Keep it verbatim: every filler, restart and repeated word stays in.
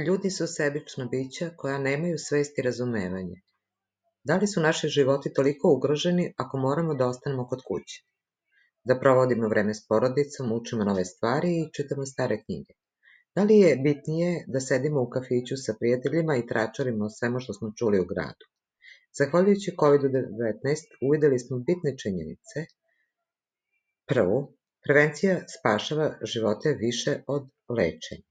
Ljudi su sebična bića koja nemaju svest i razumevanje. Da li su naši životi toliko ugroženi ako moramo da ostanemo kod kuće? Da provodimo vreme s porodicom, učimo nove stvari i čitamo stare knjige? Da li je bitnije da sedimo u kafiću sa prijateljima i tračarimo o svemu što smo čuli u gradu? Zahvaljujući kovid devetnaest uvideli smo bitne činjenice. Prvo, prevencija spašava živote više od lečenja.